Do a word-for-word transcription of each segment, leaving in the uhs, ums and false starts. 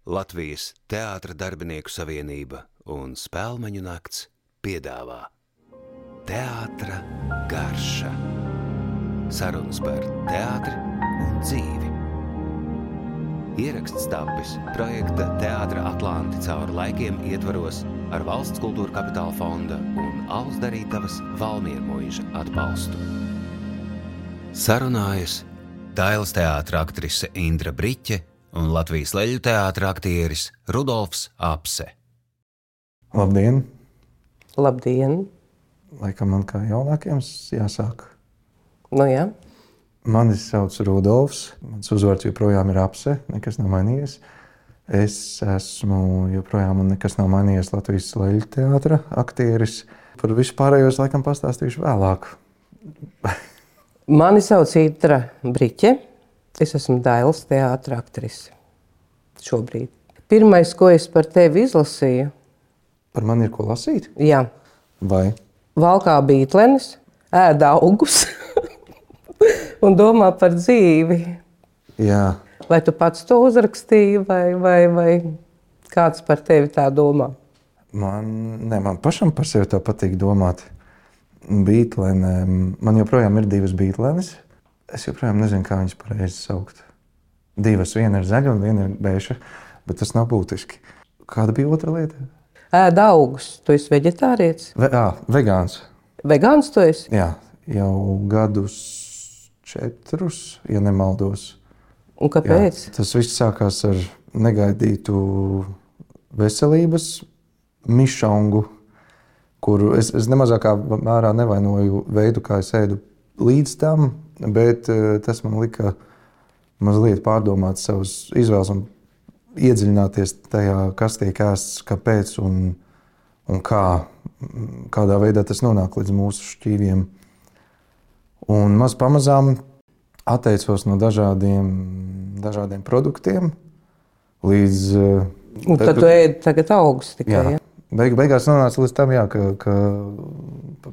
Latvijas Teātra darbinieku savienība un Spēlmeņu nakts piedāvā Teātra garša. Sarunas par teātri un dzīvi. Ieraksts tapis projekta Teātra Atlanti cauri laikiem ietvaros ar Valsts kultūra kapitāla fonda un Alus Darītavas Valmiermuiža atbalstu. Sarunājas Dailes teātra aktrise Indra Briķe un Latvijas Leļu teātra aktieris Rudolfs Apse. Labdien! Labdien! Laikam man kā jaunākiem jāsāk. Nu jā. Mani sauc Rudolfs, mans uzvārds joprojām ir Apse, nekas nav mainījies. Es esmu joprojām un nekas nav mainījies Latvijas Leļu teātra aktieris. Par visu pārējos laikam pastāstīšu vēlāk. Mani sauc Indra Briķe. Es esmu Dailes teātra aktrise šobrīd. Pirmais, ko es par tevi izlasīju. Par mani ir ko lasīt? Jā. Vai? Valkā bītlenes, ēd augus un domā par dzīvi. Jā. Vai tu pats to uzrakstīji vai, vai, vai kāds par tevi tā domā? Man, ne, man pašam par sevi tā patīk domāt. Bītlenēm. Man joprojām ir divas bītlenes. Es joprojām nezinu, kā viņas pareizi saukt. Divas, viena ir zaļa un viena ir beiša, bet tas nav būtiski. Kāda bija otra lieta? Ēd augus. Tu esi veģetārietis? Ve, ā, vegāns. Vegāns tu esi? Jā, jau gadus četrus, ja nemaldos. Un kāpēc? Jā, tas viss sākās ar negaidītu veselības mišangu, kuru es, es nemazākā mērā nevainoju veidu, kā es ēdu līdz tam, bet tas man lika mazliet pārdomāt savas izvēles un iedziļināties tajā, kas tiek ēsts, kāpēc un, un kā, kādā veidā tas nonāk līdz mūsu šķīviem. Un maz pamazām atteicos no dažādiem, dažādiem produktiem līdz... Un tad tu ēdi tagad augus tikai, jā? Ja? Beig, beigās nonāca līdz tam, jā, ka, ka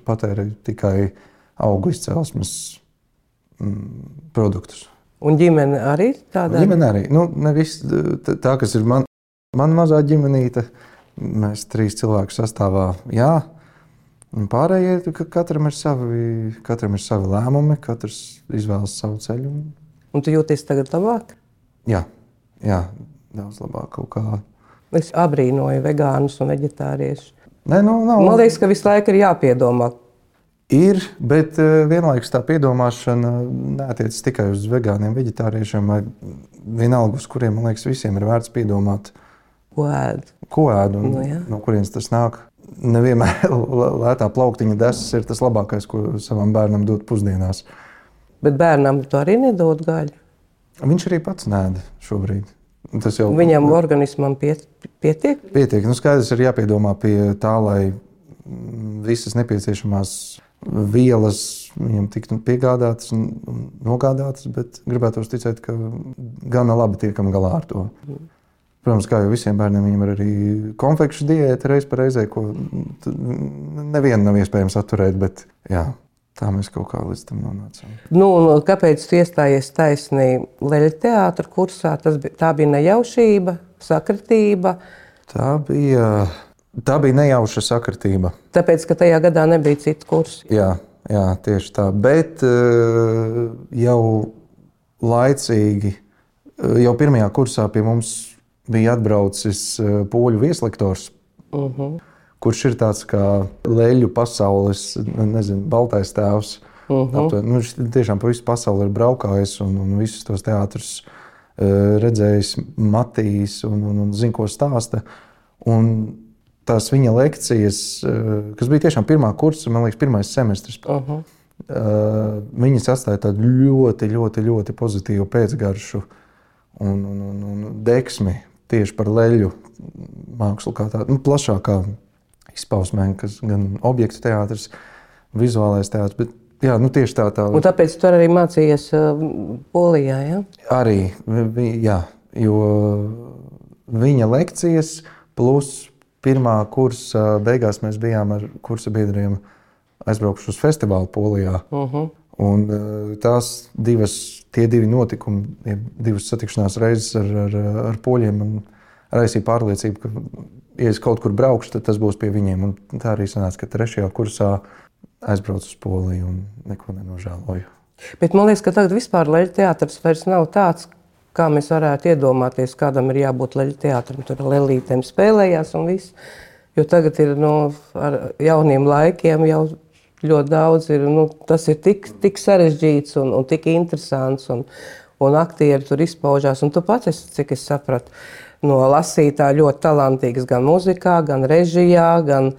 patērēju tikai augu izcelsmes mm, produktus. Un ģimene arī tāda? Ģimene arī. Nu, nevis tā, kas ir man, man mazā ģimenīte. Mēs trīs cilvēku sastāvā, jā. Un pārējie, ka katram ir savi, katram ir savi lēmumi, katrs izvēlas savu ceļu. Un tu jūties tagad labāk? Jā, jā, daudz labāk kaut kā. Es abrīnoju vegānus un veģetāriešus. Nē, nu, nav. Man liekas, ka visu laiku ir jāpiedomā. Ir, bet vienlaikus tā piedomāšana neatiecas tikai uz vegāniem, veģetāriešiem, vai vienalga, uz kuriem, man liekas, visiem ir vērts piedomāt. Ko ēd? Ko ēd un Nu, jā. no kurienes tas nāk. Nevienmēr lētā plauktiņa desas ir tas labākais, ko savam bērnam dot pusdienās. Bet bērnam tu arī nedod gaļu? Viņš arī pats nēd šobrīd. Tas jau Viņam organismam piet, pietiek? pietiek. Nu, skaidrs ir jāpiedomā pie tā, lai visas nepieciešamās vielas viņam tiktu piegādātas un nogādātas, bet gribētos ticēt, ka gana labi tiekam galā ar to. Protams, kā jau visiem bērniem, viņam ir arī konfekšu diēta reiz par reizē, ko nevienu nav iespējams atturēt, bet jā, tā mēs kaut kā līdz tam nonācām. Nu, un kāpēc tu iestājies taisnī Leļu teātra kursā? Tas bija, tā bija nejaušība, sakritība? Tā bija... Tā bija nejauša sakritība. Tāpēc, ka tajā gadā nebija citu kursu. Jā, jā, tieši tā. Bet jau laicīgi, jau pirmajā kursā pie mums bija atbraucis poļu vieslektors, uh-huh. kurš ir tāds kā leļu pasaules, nezinu, baltais tēvs. Uh-huh. Nu, viņš tiešām pa visu pasauli ir braukājis un, un visus tos teātrus redzējis, matījis un, un, un zin, ko stāsta. Un tās viņa lekcijas, kas bija tiešām pirmā kursa, man liekas, pirmais semestris, uh-huh. viņas atstāja tādu ļoti, ļoti, ļoti pozitīvu pēcgaršu un, un, un, un deksmi tieši par leļu mākslu kā tādu, nu, plašākā izpausmē, kas gan objektu teātris, vizuālais teātris, bet jā, nu tieši tā tā. Un tāpēc tu arī mācījies uh, Polijā, jā? Arī, vi, jā, jo viņa lekcijas plus pirmā kursa beigās mēs bijām ar kursa biedriem aizbraukuši uz festivālu Polijā. Uh-huh. Un tās divas, tie divi notikumi, divas satikšanās reizes ar, ar, ar poļiem man raisīja pārliecību, ka, ja es kaut kur braukšu, tad tas būs pie viņiem. Un tā arī sanāca, ka trešajā kursā aizbraucu uz Poliju un neko nenožēloju. Bet man liekas, ka tagad vispār leļu teātris vairs nav tāds, kā mēs varētu iedomāties, kādam ir jābūt leļu teātrim. Tur lelītēm spēlējās un viss. Jo tagad ir no, ar jauniem laikiem jau ļoti daudz ir, nu, tas ir tik, tik sarežģīts un, un tik interesants un, un aktieri tur izpaužās. Un tu pats, esi, cik es sapratu, no lasītā ļoti talantīgs gan muzikā, gan režijā, gan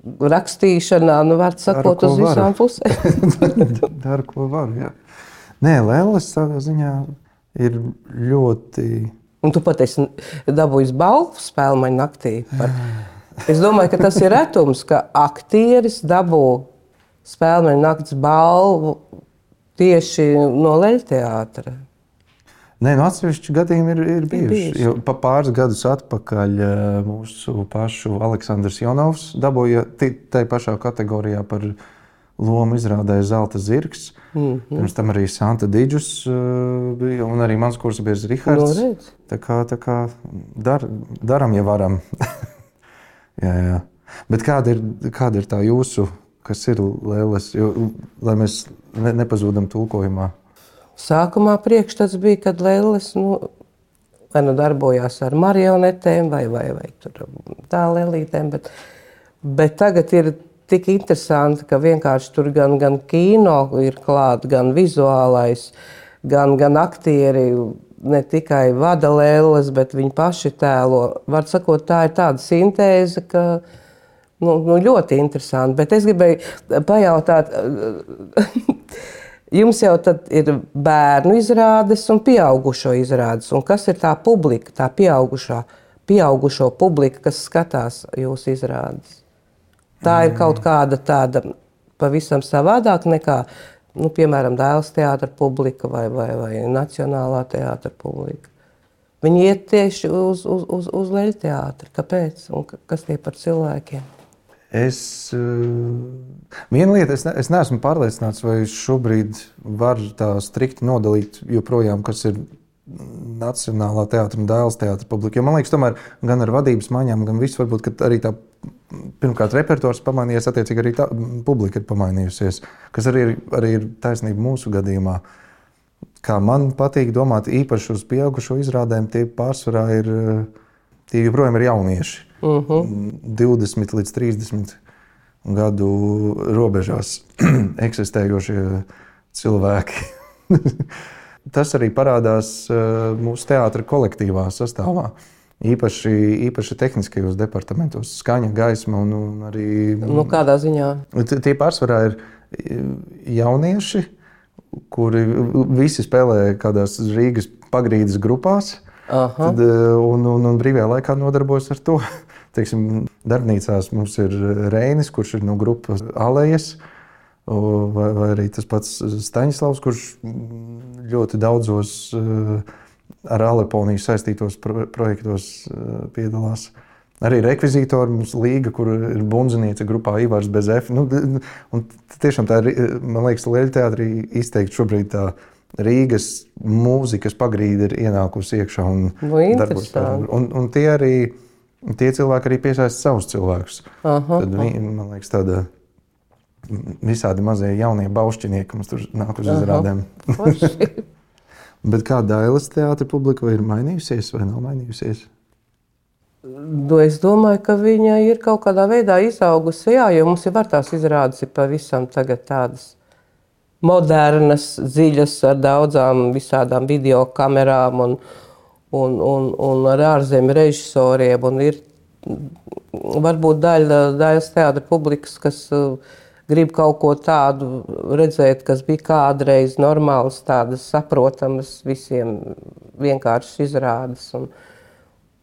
rakstīšanā, nu, var sakot, Daru, uz visām pusēm. Daru, ko varu, jā. Nē, Lēlis savā ziņā ir ļoti... Un tu pat esi dabūjis balvu Spēlmaņu naktī. Par... Es domāju, ka tas ir retums, ka aktieris dabū Spēlmaņu nakts balvu tieši no leļu teātra. Nē, no atsevišķi gadījumi ir, ir bijuši. bijuši. Jo pa pāris gadus atpakaļ mūsu pašu Aleksandrs Jonovs dabūja tai pašā kategorijā par lomu izrādē Zelta zirgs. Mm-hmm. Pirms tam arī Santa Didžus bija, un arī mans kursabiedrs Rihards. No, tā kā, tā kā dar, daram, ja varam. jā, jā. Bet kāda ir, kāda ir tā jūsu, kas ir Lēles, jo, lai mēs ne, nepazūdam tulkojumā? Sākumā priekšstats bija, kad Lēles nu, vai nu darbojās ar marionetēm vai, vai, vai tur tā lelītēm, bet, bet tagad ir tik interesanti, ka vienkārši tur gan, gan kino ir klāt, gan vizuālais, gan, gan aktieri ne tikai vada Lēles, bet viņi paši tēlo. Var sakot, tā ir tāda sintēze, ka nu, nu, ļoti interesanti. Bet es gribēju pajautāt... Jums jau tad ir bērnu izrādes un pieaugušo izrādes. Un kas ir tā publika, tā pieaugušā, pieaugušo publika, kas skatās jūsu izrādes? Tā ir kaut kāda tāda pavisam savādāk nekā, nu, piemēram, Dēls teātra publika vai, vai, vai Nacionālā teātra publika. Viņi iet tieši uz, uz, uz, uz leļu teātri. Kāpēc? Un kas tie par cilvēkiem? Es, viena lieta, es, ne, es neesmu pārliecināts, vai šobrīd var tā strikti nodalīt joprojām, kas ir Nacionālā teātra un Dēls teātra publika. Jo man liekas, tomēr gan ar vadības maiņām, gan viss varbūt, ka arī tā, pirmkārt, repertuārs pamainījies, attiecīgi arī tā publika ir pamainījusies, kas arī ir, arī ir taisnība mūsu gadījumā. Kā man patīk domāt īpaši uz pieaugušo izrādēm, tie pārsvarā ir, tie joprojām ir jaunieši. Uh-huh. divdesmit līdz trīsdesmit gadu robežās eksistējošie cilvēki. Tas arī parādās mūsu teātra kolektīvā sastāvā. Īpaši, īpaši tehniskajos departamentos, skaņa, gaisma un, un arī... Nu, kādā ziņā? Tie pārsvarā ir jaunieši, kuri visi spēlē kādās Rīgas pagrīdes grupās. Tad, un, un, un brīvajā laikā nodarbojas ar to. Teiksim, darbnīcās mums ir Reinis, kurš ir no grupas Alejas, vai, vai arī tas pats Staņislavs, kurš ļoti daudzos ar Aleponiju saistītos pro, projektos piedalās. Arī rekvizītori mums līga, kur ir bundziniece grupā Ivars Bezef. Nu, un tiešām tā ir, man liekas, leļu teātrī izteikti šobrīd tā Rīgas mūzikas pagrīde ir ienākusi iekšā un no, darbojas. Un, un tie arī, tie cilvēki arī piesaista savus cilvēkus. Aha, Tad, aha. man liekas, tāda visādi mazie jaunie baušķinieki mums tur nāk uz izrādēm. Bet kā Dailes teātra publika ir mainījusies vai nav mainījusies? Nu, es domāju, ka viņa ir kaut kādā veidā izaugusi, jā, jo mums jau var tās izrādes ir pavisam tagad tādas modernas, dziļas, ar daudzām visādām video kamerām un, un, un, un ar ārzemju režisoriem. Un ir varbūt daļa Dailes teātra publikas, kas uh, grib kaut ko tādu redzēt, kas bija kādreiz normāls, tādas saprotamas visiem vienkāršas izrādes. Un,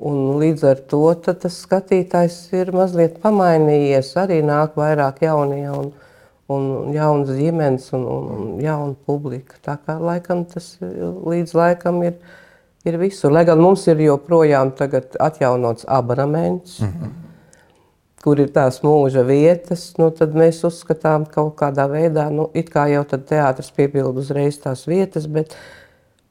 un līdz ar to tad tas skatītājs ir mazliet pamainījies, arī nāk vairāk jaunie un un jaunas ģimenes un, un, un jauna publika. Tā kā laikam tas līdz laikam ir, ir visur. Lai gan mums ir joprojām tagad atjaunots abonements, mm-hmm. kur ir tās mūža vietas, nu tad mēs uzskatām kaut kādā veidā, nu it kā jau tad teātris piepild uzreiz tās vietas, bet,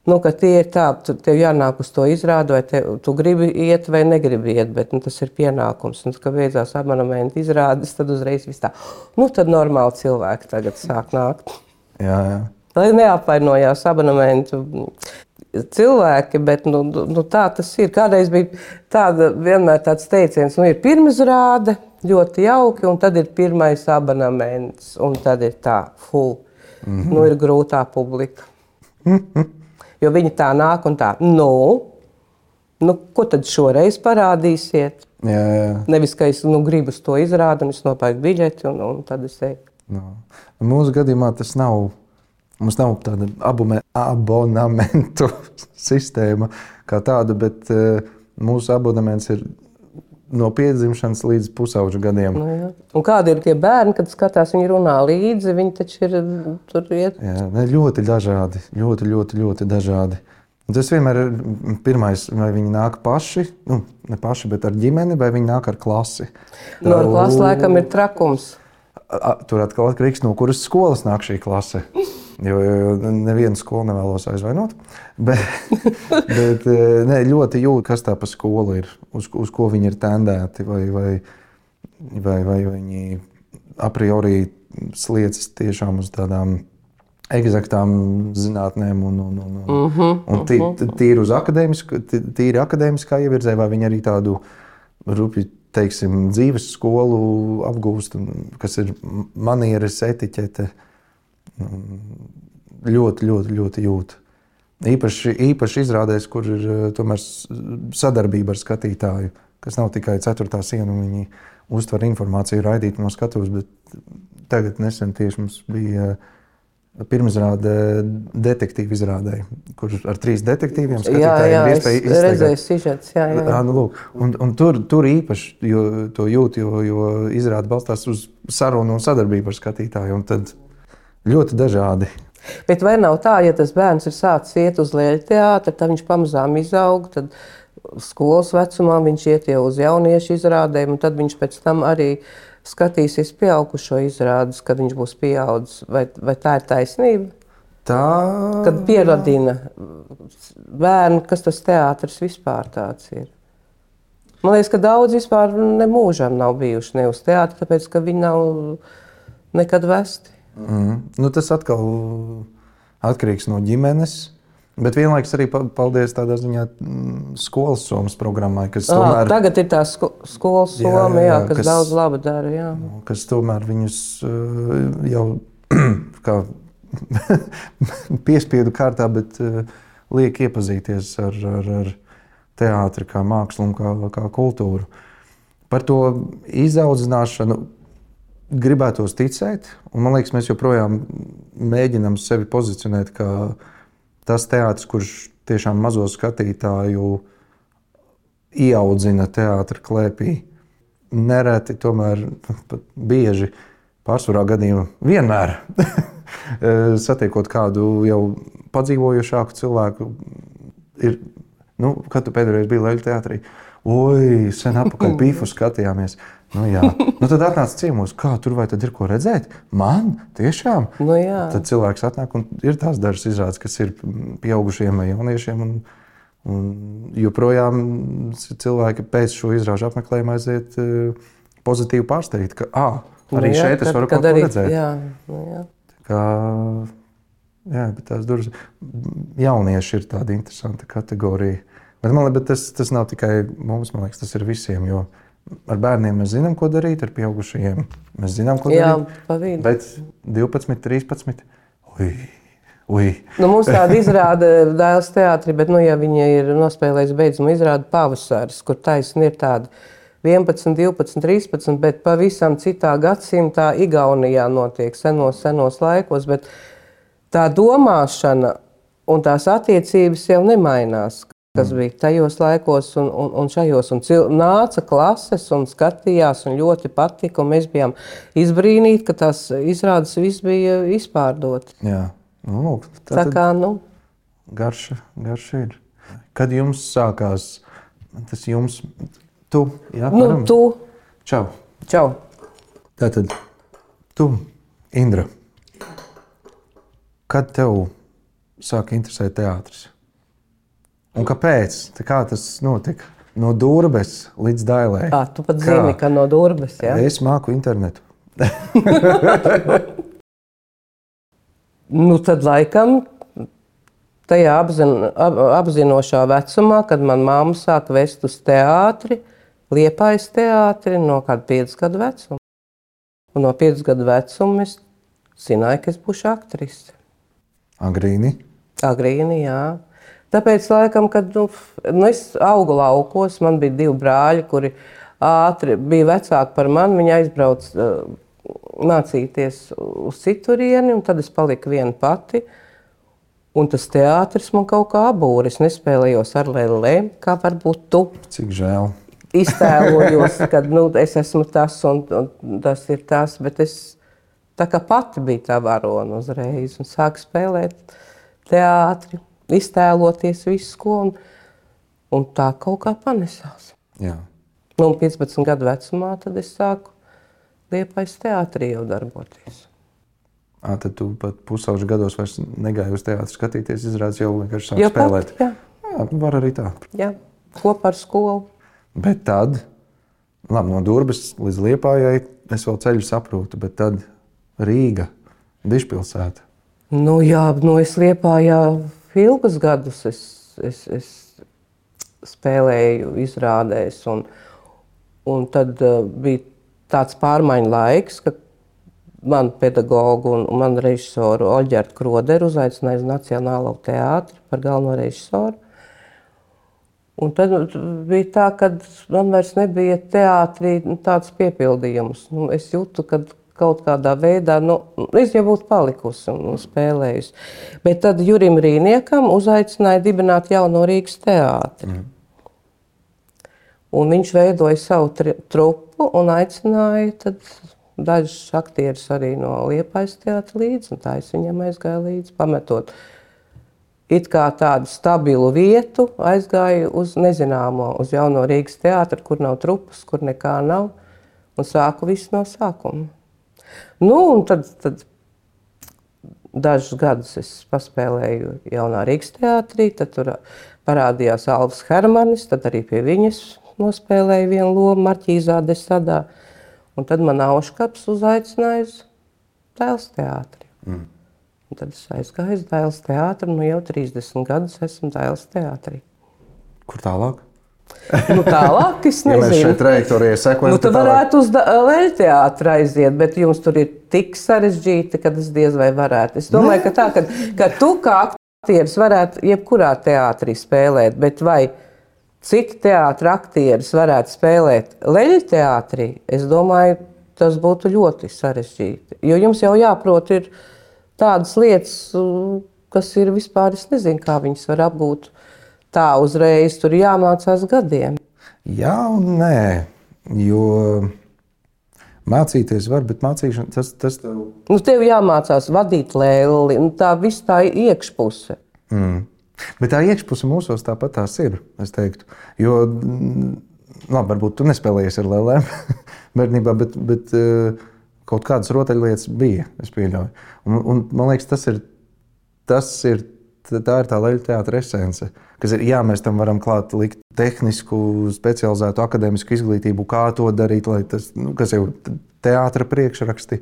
Nu, ka tie ir tā, tu, tev jānāk uz to izrādi, vai te, tu gribi iet vai negribi iet, bet nu, tas ir pienākums. Un, kad beidzās abonementa izrādes, tad uzreiz viss tā, nu tad normāli cilvēki tagad sāk nākt. Jā, jā. Lai neapvainojās abonementu cilvēki, bet nu, nu, tā tas ir. Kādreiz bija tāda, vienmēr tāds teiciens, nu ir pirmizrāde, ļoti jauki, un tad ir pirmais abonements, un tad ir tā, full. Mm-hmm. Nu ir grūtā publika. Mm-hmm. Jo viņi tā nāk un tā, nu, nu ko tad šoreiz parādīsiet? Jā, jā. Nevis, ka es nu, gribu uz to izrādi un es nopērku biļeti un, un tad es eju. No. Mūsu gadījumā tas nav, mums nav tāda abume, abonementu sistēma kā tāda, bet uh, mūsu abonements ir no piedzimšanas līdz pusauģu gadiem. Nu, jā. Un kādi ir tie bērni, kad skatās, viņi runā līdzi, viņi taču ir tur iet? Jā, ne, ļoti dažādi, ļoti, ļoti, ļoti dažādi. Un tas vienmēr ir pirmais, vai viņi nāk paši, nu, ne paši, bet ar ģimeni, vai viņi nāk ar klasi. No ar klasi laikam ir trakums. Tur atkal atkarīgs, no kuras skolas nāk šī klase. Jo, jo nevienu skolu nevēlos aizvainot. Bet, bet ne, ļoti jūt, kas tā pa skolu ir, uz, uz ko viņi ir tendēti, vai, vai, vai, vai viņi a priori sliecas tiešām uz tādām eksaktām zinātnēm un, un, un, un, mm-hmm, un tī, tīri uz akadēmisku, tīri akadēmiskā ievirzē, vai viņi arī tādu rupju, teiksim, dzīves skolu apgūst, kas ir manieres, etiķete. Ļoti, ļoti, ļoti jūt. Īpaši, īpaši izrādēs, kur ir tomēr sadarbība ar skatītāju, kas nav tikai ceturtā siena, un viņi uztver informāciju raidīt no skatuves, bet tagad nesen tieši mums bija pirmizrāde detektīvu izrādē, kur ar trīs detektīviem skatītājiem ir iespēja izteikti. Jā, jā, es redzēju sižets, jā, jā. jā. Nu, lūk, un, un tur, tur īpaši jo, to jūt, jo, jo izrāde balstās uz sarunu un sadarbību ar skatītāju, un tad ļoti dažādi. Bet vai nav tā, ja tas bērns ir sācis iet uz Leļteātri, tad viņš pamazām izaug, tad skolas vecumā viņš iet jau uz jauniešu izrādēm, un tad viņš pēc tam arī skatīsies pieaugušo izrādes, kad viņš būs pieaudzis. Vai, vai tā ir taisnība? Tā... Kad pieradina bērnu, kas tas teātris vispār tāds ir. Man liekas, ka daudz vispār ne mūžam nav bijuši ne uz teātri, tāpēc, ka viņi nav nekad vesti. Mm. Nu, tas atkal atkarīgs no ģimenes, bet vienlaiks arī paldies tādā ziņā skolas somas programmai, kas à, tomēr... Tagad ir tā sko skolas soma, jā, jā, jā, kas, kas daudz laba dara, jā. Kas tomēr viņus jau kā piespiedu kārtā, bet liek iepazīties ar, ar, ar teātri kā mākslu un kā, kā kultūru. Par to izaudzināšanu gribētos ticēt, un man liekas, mēs joprojām mēģinām sevi pozicionēt kā tas teātris, kurš tiešām mazo skatītāju ieaudzina teātra klēpī. Nereti, tomēr pat bieži, pārsvarā gadījumā vienmēr satiekot kādu jau padzīvojušāku cilvēku, ir, nu, kad tu pēdējais biji Leļteātrī, oi, sen apakaļ Pīfu skatījāmies. Nu, jā. Nu, tad atnāc ciemos, kā tur vai tad ir ko redzēt? Man? Tiešām? Nu, jā. Tad cilvēks atnāk un ir tās dažas izrādes, kas ir pieaugušiem vai jauniešiem. Un, un joprojām cilvēki pēc šo izrāžu apmeklējumu aiziet pozitīvi pārsteigti, ka ā, arī nu, jā, šeit es varu kaut ko redzēt. Jā, nu, jā. Kā, jā, bet tās durvis jaunieši ir tāda interesanta kategorija. Bet, man, bet tas, tas nav tikai mums, man liekas, tas ir visiem, jo ar bērniem mēs zinām, ko darīt, ar pieaugušajiem mēs zinām, ko jā, darīt. Pa vidu. Bet divpadsmit, trīspadsmit, ui, ui. Nu, mums tāda izrāda Dailes teātrī, bet, nu, ja viņi ir nospēlējuši beidzumu izrādu Pavasaris, kur taisni ir tāda vienpadsmit, divpadsmit, trīspadsmit, bet pavisam citā gadsimtā Igaunijā notiek senos, senos laikos, bet tā domāšana un tās attiecības jau nemainās, kas bija tajos laikos un, un, un šajos. Un cil, nāca klases un skatījās un ļoti patika, un mēs bijām izbrīnīti, ka tās izrādes viss bija izpārdoti. Jā. Nu, tā tā kā, nu... Garša, garša ir. Kad jums sākās, tas jums, tu, jā? Nu, varam? tu. Čau. Čau. Tātad, tu, Indra, kad tev sāka interesēt teātris? Un kāpēc? Tā kā tas notika? No Durbes līdz Dailai. À, tu pat kā? Zini, ka no Durbes, jā? Es māku internetu. Nu, tad laikam tajā apzin, ap, apzinošā vecumā, kad man mamma sāka vest uz teātri, Liepājas teātri no kāda piecas gadu vecuma. Un no piecas gadu vecuma es zināju, ka es būšu aktrise. Agrīni? Agrīni, jā. Tāpēc, laikam, kad nu, nu, es augu laukos, man bija divi brāļi, kuri ātri bija vecāki par mani. Viņi aizbrauca uh, mācīties uz citurieni, un tad es paliku viena pati. Un tas teātris man kaut kā abūra. Es nespēlējos ar lēlēm, kā varbūt tu. Cik žēl. Iztēlojos, ka nu, es esmu tas un, un tas ir tas, bet es tā kā pati biju tā varona uzreiz un sāku spēlēt teātri, iztēloties visu ko, un, un tā kaut kā panesās. Jā. Nu, un piecpadsmit gadu vecumā tad es sāku Liepājas teātrī jau darboties. À, tad tu pat pusauģu gados vairs negāji uz teātri skatīties, izrādās jau vienkārši sāk spēlēt. Pat, jā. Jā, var arī tā. Jā, kopā ar skolu. Bet tad, labi, no Durbes līdz Liepājai es vēl ceļu saprotu, bet tad Rīga, Dižpilsēta. Nu jā, nu es Liepājā ilgus gadus es, es, es spēlēju izrādēs, un, un tad uh, bija tāds pārmaiņu laiks, ka man pedagogu un, un man režisoru Oļģertu Kroderu uzaicināja uz Nacionālo teātri par galveno režisoru. Un tad bija tā, ka man vairs nebija teātrī tāds piepildījums. Nu, es jūtu, ka kaut kādā veidā, nu, es jau būtu palikusi un spēlējusi. Bet tad Jurim Rīniekam uzaicināja dibināt jauno Rīgas teātri. Mm. Un viņš veidoja savu trupu un aicināja tad dažus aktierus arī no Liepājas teātra līdzi. Un tā es viņam aizgāju līdzi, pametot it kā tādu stabilu vietu, aizgāju uz nezināmo, uz jauno Rīgas teātru, kur nav trupas, kur nekā nav, un sāku visu no sākuma. Nu, un tad, tad dažus gadus es paspēlēju jaunā Rīgas teātrī, tad tur parādījās Alvs Hermanis, tad arī pie viņas nospēlēju vienu lomu Marķīzā de Sadā, un tad man Auškaps uzaicināja uz Dailes teātri. Mm. Un tad es aizgāju uz Dailes teātri, nu jau trīsdesmit gadus esmu Dailes teātrī. Kur tālāk? Nu tālāk, es nezinu. Ja mēs šeit trajektorijai sekojam, nu, tu varētu uz Leļu teātri aiziet, bet jums tur ir tik sarežģīti, ka es diez vai varētu. Es domāju, ka tā, ka, ka tu kā aktieris varētu jebkurā teātrī spēlēt, bet vai citi teātra aktieris varētu spēlēt Leļu teātrī, es domāju, tas būtu ļoti sarežģīti. Jo jums jau jāprot ir tādas lietas, kas ir vispār, es nezinu, kā viņas var apgūt tā uzreiz, tur jāmācās gadiem. Jā un nē, jo mācīties var, bet mācīšana, tas, tas tev... Nu, tev jāmācās vadīt lēli, tā viss tā iekšpuse. Mm. Bet tā iekšpuse mūsos tāpat tās ir, es teiktu. Jo, labi, varbūt tu nespēlējies ar lēlēm bērnībā, bet, bet kaut kādas rotaļlietas bija, es pieļauju. Un, un man liekas, tas ir, tas ir, tā ir tā Leļu teātra esence, kas ir, jā, mēs tam varam klāt likt tehnisku, specializētu akadēmisku izglītību, kā to darīt, lai tas, nu, kas jau teātra priekšraksti,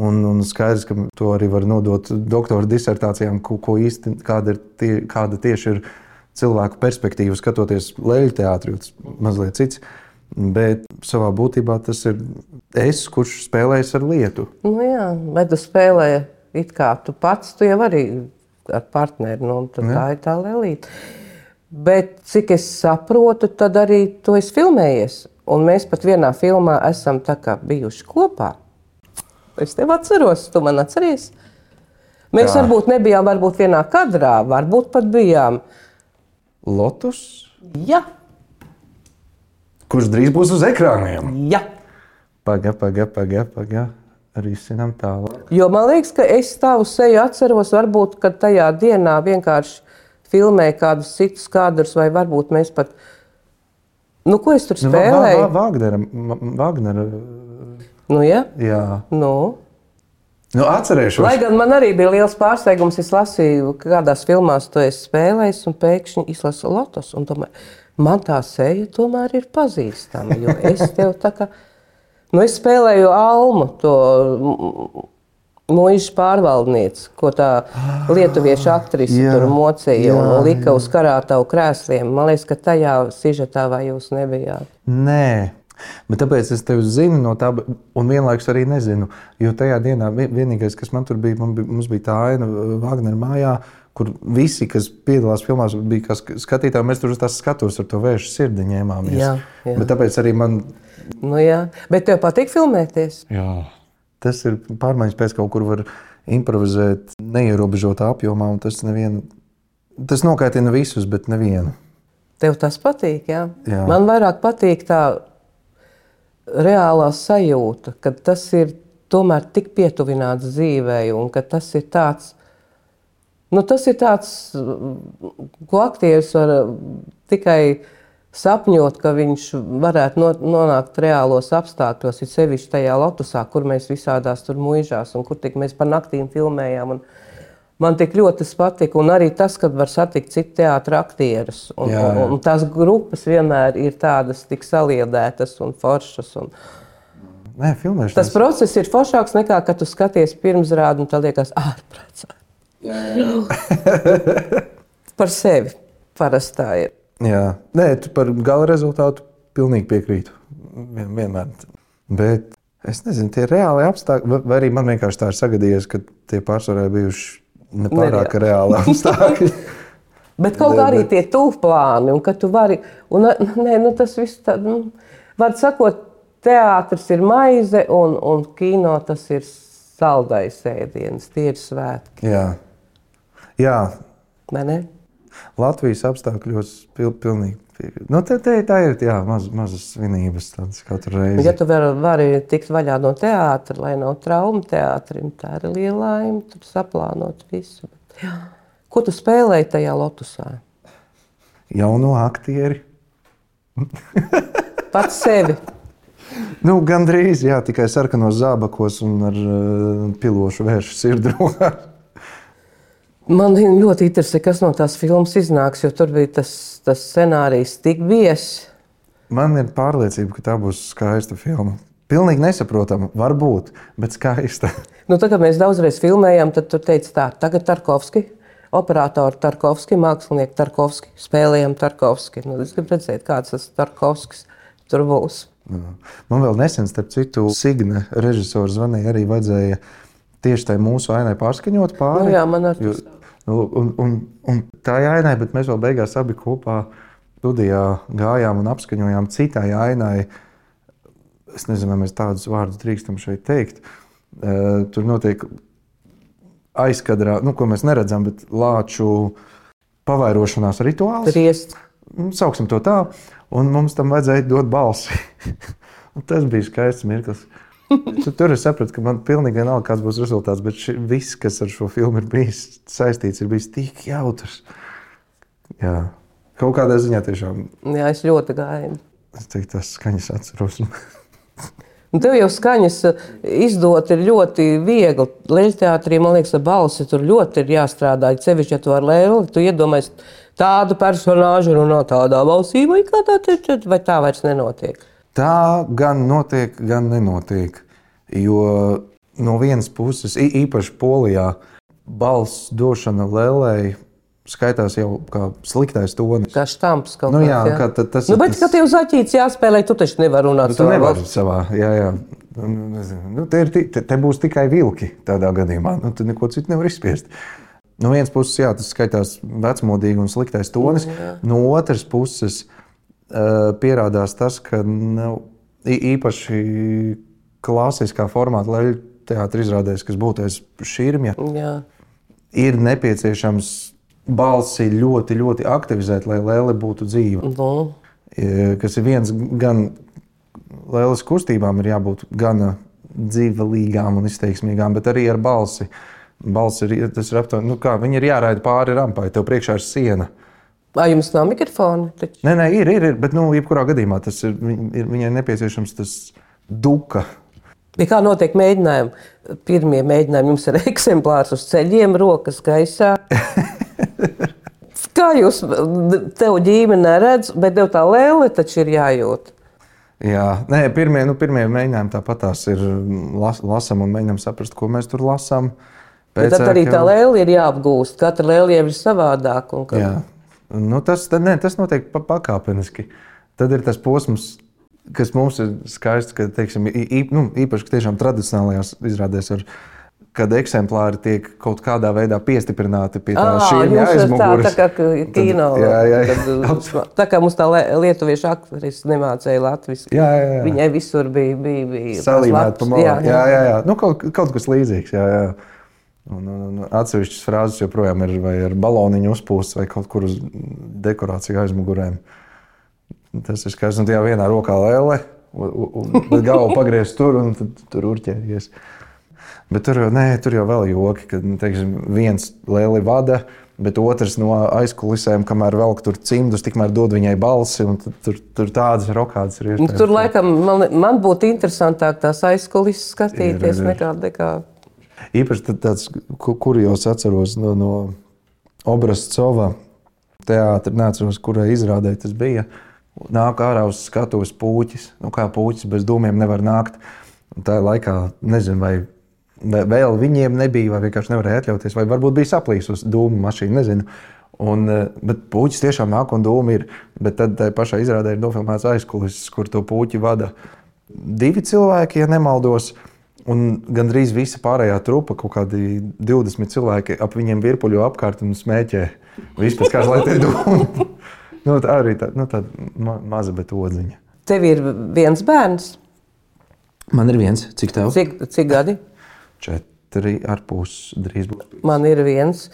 un, un skaidrs, ka to arī var nodot doktora disertācijām, ko, ko īsti, kāda, ir tie, kāda tieši ir cilvēku perspektīva skatoties Leļu teātri, tas mazliet cits. Bet savā būtībā tas ir es, kurš spēlējas ar lietu. Nu jā, bet tu spēlē it kā tu pats, tu jau arī ar partneri, nu, tad jā. Tā ir tā lēlīte. Bet cik es saprotu, tad arī tu esi filmējies. Un mēs pat vienā filmā esam tā kā bijuši kopā. Es tev atceros, tu man atceries. Mēs jā. varbūt nebijām varbūt vienā kadrā, varbūt pat bijām. Lotus? Jā. Kurš drīz būs uz ekrāniem? Jā. Paga, paga, paga, paga. Risinām tālāk. Jo man liekas, ka es tavu seju atceros, varbūt, kad tajā dienā vienkārši filmēju kādus citus kadrus, vai varbūt mēs pat... Nu, ko es tur spēlēju? Vāgnera. Vāgnera. Nu, ja? Jā. Nu. Nu, atcerēšos. Lai gan man arī bija liels pārsteigums, es lasīju, ka kādās filmās tu esi spēlējis un pēkšņi izlasu lotos. Un tomēr, man tā seja tomēr ir pazīstama, jo es tev tā kā, nu es spēlēju Almu, to muižas pārvaldnieci, ko tā lietuviešu aktrise jā, tur mocīja jā, un lika jā. uz karātavu krēsliem. Man liekas, ka tajā sižetā vai jūs nebijāt. Nē. Bet tāpēc es tevi zinu no tā, un vienlaikus arī nezinu. Jo tajā dienā vienīgais, kas man tur bija, man bija mums bija tā aina Vāgnera mājā, kur visi, kas piedalās filmās, bija kā skatītāji. Mēs tur uz tās skatos ar to vēju sirdi ņēmāmies. Jā, jā. Bet tāpēc arī man... Nu jā, bet tev patīk filmēties? Jā. Tas ir pārmaiņas pēc kaut kur var improvizēt neierobežotā apjomā, un tas nevienu... Tas nokaitina visus, bet nevienu. Tev tas patīk, jā? Jā. Man vairāk patīk tā reālā sajūta, ka tas ir tomēr tik pietuvināts dzīvei un ka tas ir tāds, nu tas ir tāds, ko aktieris var tikai sapņot, ka viņš varētu nonākt reālos apstākļos, ir sevišķi tajā lotusā, kur mēs visādās tur muižās un kur tik mēs par naktīm filmējām. Un man tik ļoti tas patika, un arī tas, kad var satikt citu teātra aktierus. Un, Jā, jā. un, un tās grupas vienmēr ir tādas tik saliedētas un foršas. Un Nē, filmēšanas. tas process ir foršāks nekā, kad tu skaties pirmsrādi un tā liekas ārprāts. Par sevi parasti tā ir. Jā. Nē, tu par gala rezultātu pilnīgi piekrītu. Vien, vienmēr. Bet es nezinu, tie reāli apstākļi, vai- vai arī man vienkārši tā ir sagadījies, ka tie pārsvarā bijuši nepārāk Nereāli. reāli apstākļi. Bet kaut kā arī tie tūplāni, un ka tu vari, un nē, nu tas viss tā, nu, var sakot, teātris ir maize, un, un kino tas ir saldais ēdiens, tie ir svētki, Jā. Jā, vai ne? Latvijas apstākļos pil, pilnīgi. Nu, te, te, tā ir jā, maz, mazas svinības tādas katru reizi. Ja tu vari, vari tikt vaļā no teātra, lai nav trauma teātrim, tā ir liela laime, tur saplānot visu. Bet, jā. Ko tu spēlēji tajā lotusā? Jauno aktieri. Pats sevi. Nu, gandrīz, jā, tikai sarkanos zābakos un ar uh, pilošu vēršu sirdrokā. Man ļoti interesē, kas no tās filmas iznāks, jo tur bija tas, tas scenārijs tik biezs. Man ir pārliecība, ka tā būs skaista filma. Pilnīgi nesaprotama, varbūt, bet skaista. Nu, tā, kad mēs daudzreiz filmējām, tad tur teica tā, tagad Tarkovski, operatori Tarkovski, mākslinieki Tarkovski, spēlējam Tarkovski. Nu, es gribu redzēt, kāds tas Tarkovskis tur būs. Man vēl nesen, starp citu, Signe režisors zvanīja, arī vajadzēja tieši tai mūsu ainai pārskaņot pāri. Nu, jā, man ar Jo, nu, un, un, un tā ir ainai, bet mēs vēl beigās abi kopā studijā gājām un apskaņojām citai ainai. Es nezinu, vai mēs tādus vārdus drīkstam šeit teikt. Uh, tur notiek aizkadrā, nu, ko mēs neredzam, bet lāču pavairošanās rituāls. Triest. Sauksim to tā, un mums tam vajadzēja dot balsi. Tas bija skaists mirklis. Tur es sapratu, ka man pilnīgi vienalga, kāds būs rezultāts, bet ši, viss, kas ar šo filmu ir bijis saistīts, ir bijis tik jautrs. Jā, kaut kādā ziņā tiešām. Jā, es ļoti gāju. Es teiktu, tas skaņas atceros. Un tev jau skaņas izdot ir ļoti viegli. Leļteātrī, man liekas, ar balsi tur ļoti ir jāstrādā. Sevišķi, ja tu ar Lēli, tu iedomājies tādu personāžu runā tādā balsī, vai kādā, vai tā vairs nenotiek? Tā gan notiek, gan nenotiek. Jo no vienas puses, īpaši Polijā, balss došana lēlēji skaitās jau kā sliktais tonis. Kā štamps kaut Nu, kāds, jā, jā. kā ta- tas Nu, ir bet, tas- kad tev zaķīts jāspēlē, tu taču nevar runāt Nu, tu savā nevari balsī. savā, jā, jā. Nu, nezinu. Nu, te, ir, ti- te, te būs tikai vilki tādā gadījumā. Nu, tu neko citu nevar izspiest. No vienas puses, jā, tas skaitās vecmodīgi un sliktais tonis. No otras puses, uh, pierādās tas, ka nav ī- īpaši klasiskā formāta leļu teātra izrādēs, kas būtu aiz šķirmja, Jā. ir nepieciešams balsi ļoti, ļoti aktivizēt, lai lēle būtu dzīva. Nu, E, kas ir viens gan lēlas kustībām, ir jābūt gan dzīvelīgām un izteiksmīgām, bet arī ar balsi. Balss ir, tas ir aptuveni, nu kā, viņi ir jāraida pāri rampai, tev priekšā ir siena. Vai jums nav mikrofona? Taču? Nē, nē, ir, ir, ir, bet nu, jebkurā gadījumā tas ir, viņ- ir, viņai nepieciešams tas duka. Kā notiek mēģinājumi? Pirmie mēģinājumi jums ir eksemplārs uz ceļiem, rokas gaisā. Kā jūs, tev ģimene neredz, bet tev tā lēle taču ir jājūt? Jā, nē, pirmie, nu, pirmie mēģinājumi tāpat tās ir las, lasam un mēģinām saprast, ko mēs tur lasām. Bet tad arī tā lēle ir jāapgūst. Katra lēle jau ir savādāk. Un ka... Jā, nu, tas, tad, ne, tas notiek pakāpeniski. Tad ir tas posms, kas mums ir skaists, ka, teiksim, īp, nu, īpaši ka tiešām tradicionālajās izrādēs, ar, kad eksemplāri tiek kaut kādā veidā piestiprināti pie tā šīm aizmuguras. Tā, tā kā kino. Tad, jā, jā, jā. Kad, tā kā mums tā lietuviešu aktrise nemācēja latviski. Jā, jā, jā. Viņai visur bija, bija, bija salīmēt pa malām. Jā, jā. jā, jā, jā. Nu, kaut, kaut kas līdzīgs, jā, jā. Un, un, un atsevišķas frāzes joprojām ir vai ar baloniņu uzpūsts vai kaut kur uz dekorāciju aizmugurēm. Tas ir skaists. Un tajā vienā rokā lēle, bet galvu pagriez tur un tad tur urķējies. Bet tur, nē, tur jau vēl joki, kad teiksim, viens lēli vada, bet otrs no aizkulisēm, kamēr velk tur cimdus, tikmēr dod viņai balsi. Un tur, tur tādas rokādas ir iespējams. Tur laikam man, man būtu interesantāk tās aizkulises skatīties ir, ir, ir. nekā... nekā... Īpaši tāds, kur jau atceros no, no Obrascova teātra, neatceros, kurai izrādē tas bija. Nāk ārā uz skatuves puķis. Nu, kā puķis bez dūmiem nevar nākt. Un tā laikā, nezinu, vai vēl viņiem nebija, vai vienkārši nevarēja atļauties, vai varbūt bija saplīsusi dūmu mašīna, nezinu. Un, bet puķis tiešām nāk un dūmi ir. Bet tad tā pašā izrādē ir nofilmēts aizkulises, kur to puķi vada divi cilvēki, ja nemaldos. Un gandrīz visa pārējā trupa, kaut kādi divdesmit cilvēki ap viņiem virpuļo apkārt un smēķē. Vispēc kāds, lai te dūmi. Nu, tā arī tā, nu, tāda ma maza, bet odziņa. Tev ir viens bērns? Man ir viens. Cik tev? Cik, cik gadi? Četri ar pus drīz būs. Man ir viens.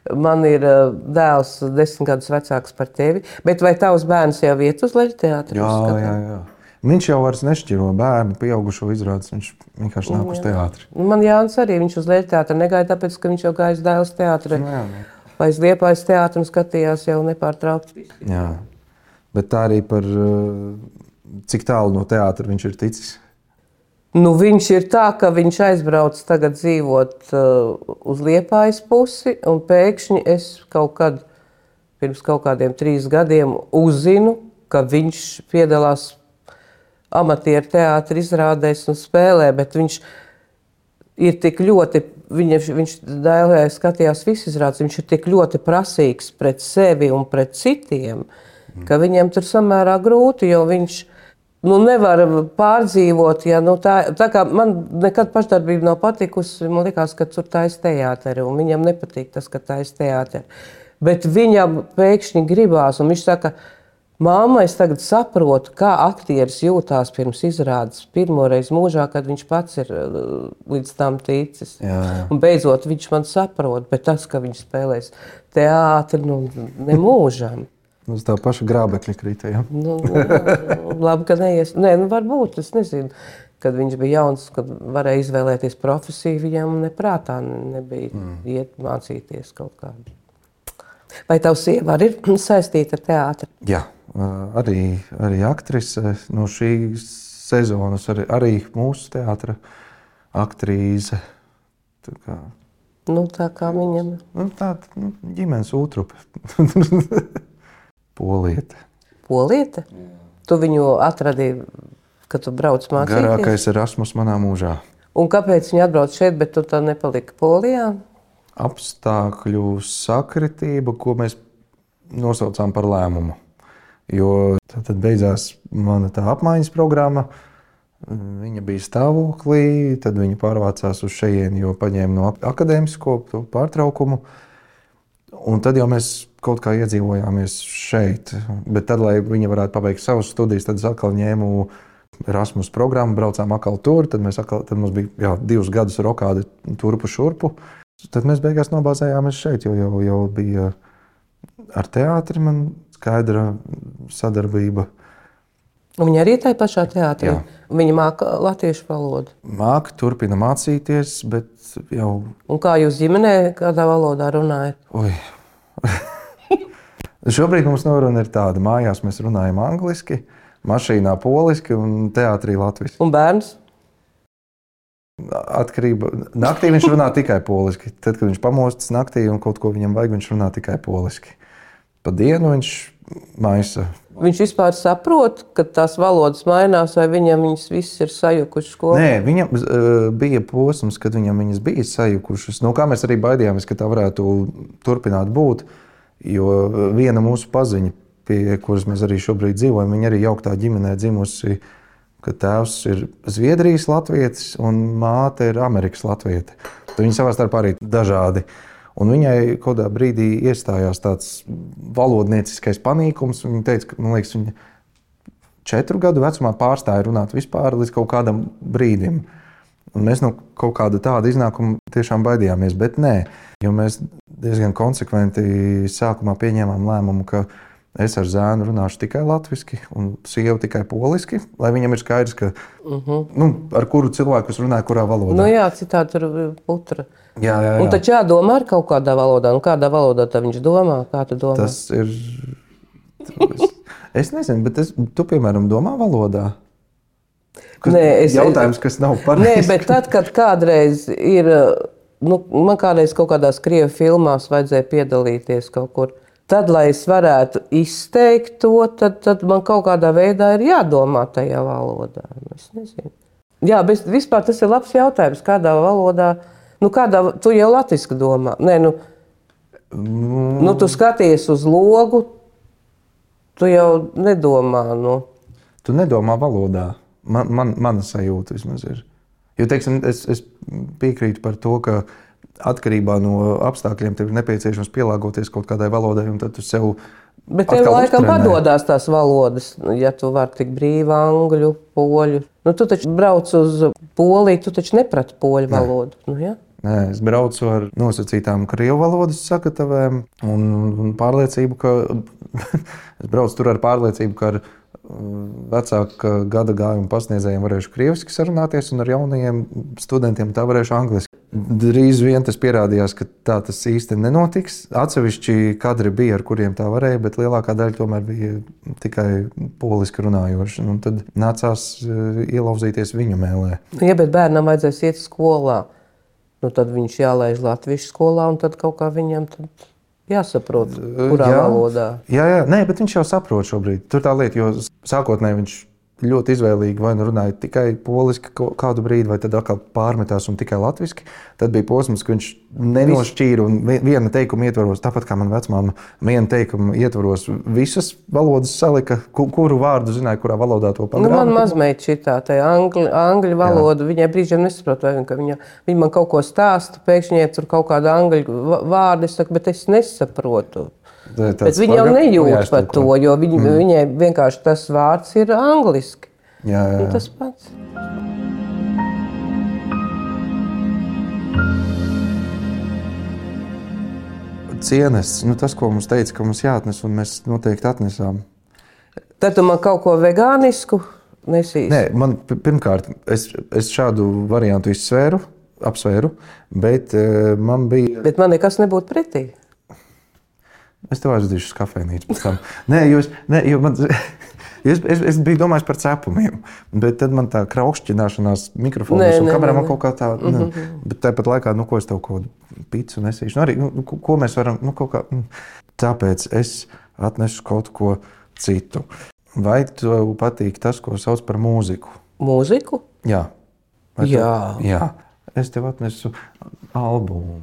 Man ir dēls desmit gadus vecāks par tevi. Bet vai tavs bērns jau iet uz Leģu teātri? Jā, jā, jā. Viņš jau vairs nešķiro bērnu, pieaugušo izrādes. Viņš vienkārši nāk uz teātri. Man Jānis arī, viņš uz Leģu teātri negaida, tāpēc, ka viņš jau gājas dēls teātri. Jā, jā. Vai es Liepājas teātri un skatījās jau nepārtraukti. Jā, bet tā arī par cik tālu no teātra viņš ir ticis? Nu, viņš ir tā, ka viņš aizbrauc tagad dzīvot uh, uz Liepājas pusi, un pēkšņi es kaut kad, pirms kaut kādiem trīs gadiem, uzzinu, ka viņš piedalās amatieru teātra izrādēs un spēlē, bet viņš ir tik ļoti, viņa, viņš dēlē skatījās visu izrādes, viņš ir tik ļoti prasīgs pret sevi un pret citiem, mm. ka viņam tur samērā grūti, jo viņš nu, nevar pārdzīvot. Ja, nu, tā, tā kā man nekad pašdarbība nav patikusi, man likās, ka tur tais teāteri, un viņam nepatīk tas, ka tais teāteri. Bet viņam pēkšņi gribās, un viņš saka, māma, es tagad saprotu, kā aktieris jūtās pirms izrādes pirmoreiz mūžā, kad viņš pats ir līdz tam ticis. Jā, jā. Un beidzot viņš man saprot, bet tas, ka viņš spēlēs teātri, nu, ne mūžam. Uz tā paša grābekļa krita, ja? Nu, nu, labi, ka neies. Nē, nu varbūt, es nezinu, kad viņš bija jauns, kad varēja izvēlēties profesiju, viņam neprātā nebija mm. iet mācīties kaut kādu. Vai tavs sieva arī ir saistīta ar teātri? Jā. Arī, arī aktrise no šīs sezonas, arī, arī mūsu teātra aktrise. Tā kā, nu, tā kā viņam. Nu, tāda nu, ģimenes ūtrupe. Poliete. Poliete? Jā. Tu viņu atradīji, kad tu brauc mācīties? Garākais Erasmus manā mūžā. Un kāpēc viņi atbrauc šeit, bet tu tā nepalika Polijā? Apstākļu sakritība, ko mēs nosaucām par lēmumu. Jo tad beidzās mana tā apmaiņas programma, viņa bija stāvoklī, tad viņa pārvācās uz šejieni, jo paņēma no akadēmisko pārtraukumu. Un tad jau mēs kaut kā iedzīvojāmies šeit. Bet tad, lai viņa varētu pabeigt savas studijas, tad es atkal ņēmu Erasmus programmu, braucām atkal tur, tad, mēs atkal, tad mums bija jā, divus gadus rokādi turpu šurpu. Tad mēs beigās nobāzējāmies šeit, jo jau, jau bija ar teātri man skaidra sadarbība. Un viņa arī tajā pašā teātrī? Jā. Viņa māca latviešu valodu? Māca, turpina mācīties, bet jau... Un kā jūs ģimenē kādā valodā runājat? Oi. Šobrīd mums noruna ir tāda. Mājās mēs runājam angliski, mašīnā poliski un teātrī latviski. Un bērns? Atkarība. Naktī viņš runā tikai poliski. Tad, kad viņš pamostas naktī un kaut ko viņam vajag, viņš runā tikai poliski. Pa dienu viņš maisa. Viņš vispār saprot, ka tās valodas mainās, vai viņam viņas visas ir sajukušas skolā? Nē, viņam uh, bija posms, kad viņam viņas bija sajukušas. No kā mēs arī baidījāmies, ka tā varētu turpināt būt, jo viena mūsu paziņa, pie kuras mēs arī šobrīd dzīvojam, viņa arī jauktā ģimenē dzimusi, ka tēvs ir Zviedrijas latvietis un māte ir Amerikas latviete. Tad viņi savā starpā arī dažādi. Un viņai kaut kādā brīdī iestājās tāds valodnieciskais panīkums. Viņa teica, ka, man liekas, viņa četru gadu vecumā pārstāja runāt vispār līdz kaut kādam brīdim. Un mēs no kaut kāda tāda iznākuma tiešām baidījāmies, bet nē. Jo mēs diezgan konsekventi sākumā pieņēmām lēmumu, ka es ar zēnu runāšu tikai latviski un sievu tikai poliski, lai viņam ir skaidrs, ka, uh-huh. nu, ar kuru cilvēku es runāju, kurā valodā. Nu jā, citādi tur putra. Jā, jā, jā. Un taču jādomā ar kaut kādā valodā. Un kādā valodā tā viņš domā? Kā tu domā? Tas ir... Es, es nezinu, bet es, tu, piemēram, domā valodā? Kas, Nē, es, jautājums, kas nav pareizi. Nē, bet tad, kad kādreiz ir... Nu, man kādreiz kaut kādās krievu filmās vajadzēja piedalīties kaut kur. Tad, lai es varētu izteikt to, tad, tad man kaut kādā veidā ir jādomā tajā valodā. Es nezinu. Jā, bet vispār tas ir labs jautājums. Kādā valodā... Nu, kādā, tu jau latviski domā. Nē, nu, mm. nu, tu skaties uz logu, tu jau nedomā. Nu. Tu nedomā valodā. Man, man, mana sajūta vismaz ir. Jo, teiksim, es, es piekrītu par to, ka atkarībā no apstākļiem tev ir nepieciešams pielāgoties kaut kādai valodai, un tad tu sev Bet tev laikam padodās tās valodas, ja tu vari tik brīvi angļu, poļu. Nu, tu taču brauc uz Poliju, tu taču neprati poļu valodu. Nu, ja? Nē, es braucu ar nosacītām krievu valodas sakatavēm un, un pārliecību, ka es braucu tur ar pārliecību, ka ar vecāka gada gājuma pasniedzējiem varēšu krieviski sarunāties un ar jaunajiem studentiem tā varēšu angliski. Drīz vien tas pierādījās, ka tā tas īsti nenotiks. Atsevišķi kadri bija, ar kuriem tā varēja, bet lielākā daļa tomēr bija tikai poliski runājoši. Un tad nācās ielauzīties viņu mēlē. Ja, bet bērnam vajadzēs iet skolā, nu tad viņš jālaiž latviešu skolā un tad kaut kā viņam tad jāsaprot, kurā jā, valodā. Jā, jā, nē, bet viņš jau saprot šobrīd. Tur tā lieta, jo sākotnēji viņš ļoti izvēlīgi vai nu runāja tikai poliski kādu brīdi, vai tad atkal pārmetās un tikai latviski. Tad bija posms, ka viņš nenošķīra un viena teikuma ietvaros, tāpat kā man vecmāma, viena teikuma ietvaros visas valodas salika, kuru vārdu zināja, kurā valodā to pagrāba. Nu, man mazmeita šitā, tā angļu, angļu valodu, jā. Viņai brīžiem nesaprot, vai viņa, viņa, viņa man kaut ko stāsta, pēkšņi tur kaut kāda angļu vārdu, es saku, bet es nesaprotu. Bet viņa jau nejūt par to, jo viņa, mm. viņai vienkārši tas vārds ir angliski. Jā, jā, jā. Tas pats. Cienes, nu tas, ko mums teica, ka mums jāatnes, un mēs noteikti atnesām. Tad tu man kaut ko vegānisku nesīsi? Nē, man pirmkārt, es, es šādu variantu izsvēru, apsvēru, bet uh, man bija... Bet man nekas nebūtu pretī. Es tev aizdīšu uz kafejnīcu pēc tam. Nē, jo, es, nē, jo man, es, es, es biju domājis par cepumiem, bet tad man tā kraukšķināšanās mikrofonos un kamerā man kaut kā tā, mm -hmm. ne, bet tāpat laikā, nu, ko es tev kaut picu nesīšu, nu, arī, nu, ko mēs varam, nu, kaut kā, tāpēc es atnešu kaut ko citu. Vai tev patīk tas, ko sauc par mūziku? Mūziku? Jā. Vai Jā. Tev, jā. Es tev atnesu albumu.